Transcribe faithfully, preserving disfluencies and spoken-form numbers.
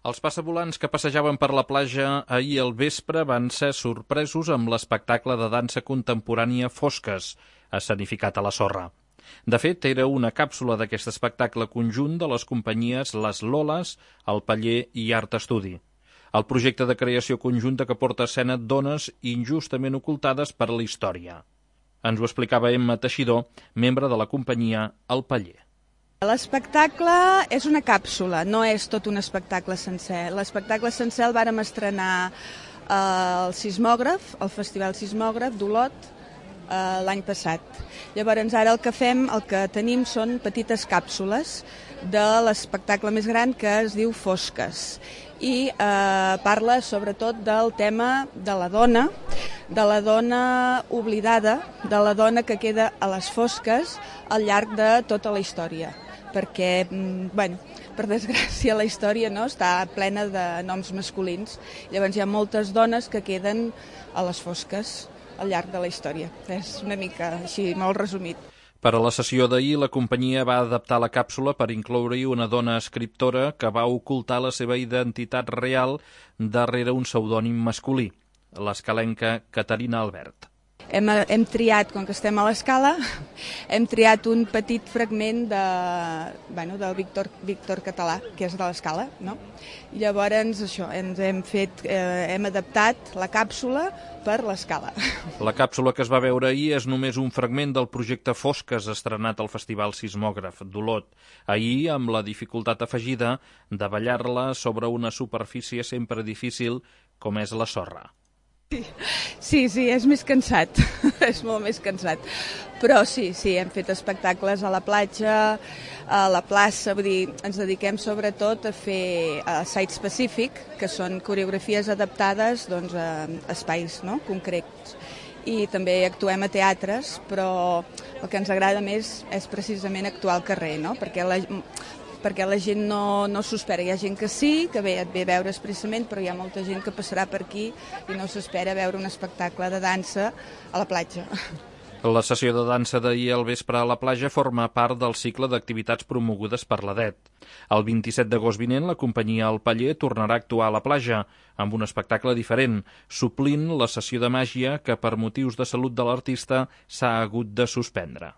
Els passavolants que passejaven per la platja ahir al vespre van ser sorpresos amb l'espectacle de dansa contemporània Fosques, escenificat a la sorra. De fet, era una càpsula d'aquest espectacle conjunt de les companyies Les Loles, El Paller i Art Estudi. El projecte de creació conjunta que porta a escena dones injustament ocultades per la història. Ens ho explicava Emma Teixidor, membre de la companyia El Paller. L'espectacle és una càpsula, no és tot un espectacle sencer. L'espectacle sencer el vàrem estrenar al Sismògraf, al Festival Sismògraf d'Olot, l'any passat. Llavors ara el que fem, el que tenim són petites càpsules de l'espectacle més gran que es diu Fosques i eh, parla sobretot del tema de la dona, de la dona oblidada, de la dona que queda a les fosques al llarg de tota la història. Perquè, bueno, per desgràcia, la història no està plena de noms masculins. Llavors hi ha moltes dones que queden a les fosques al llarg de la història. És una mica així, molt resumit. Per a la sessió d'ahir, la companyia va adaptar la càpsula per incloure-hi una dona escriptora que va ocultar la seva identitat real darrere un pseudònim masculí, l'escalenca Caterina Albert. Hem, hem triat, com que estem a l'Escala, hem triat un petit fragment de, bueno, del Víctor, Víctor Català, que és de l'Escala, no? I llavors això, ens hem fet, eh, hem adaptat la càpsula per l'Escala. La càpsula que es va veure ahir és només un fragment del projecte Fosques estrenat al Festival Sismògraf d'Olot. Ahir, amb la dificultat afegida de ballar-la sobre una superfície sempre difícil com és la sorra. Sí, sí, és més cansat, és molt més cansat. Però sí, sí, hem fet espectacles a la platja, a la plaça, vull dir, ens dediquem sobretot a fer uh, site específic, que són coreografies adaptades doncs, a espais no? concrets. I també actuem a teatres, però el que ens agrada més és precisament actuar al carrer, no? perquè la perquè la gent no, no s'ho espera. Hi ha gent que sí, que ve, et ve a veure expressament, però hi ha molta gent que passarà per aquí i no s'espera veure un espectacle de dansa a la platja. La sessió de dansa d'ahir al vespre a la platja forma part del cicle d'activitats promogudes per l'A D E T. El vint-i-set d'agost vinent, la companyia El Paller tornarà a actuar a la platja, amb un espectacle diferent, suplint la sessió de màgia que per motius de salut de l'artista s'ha hagut de suspendre.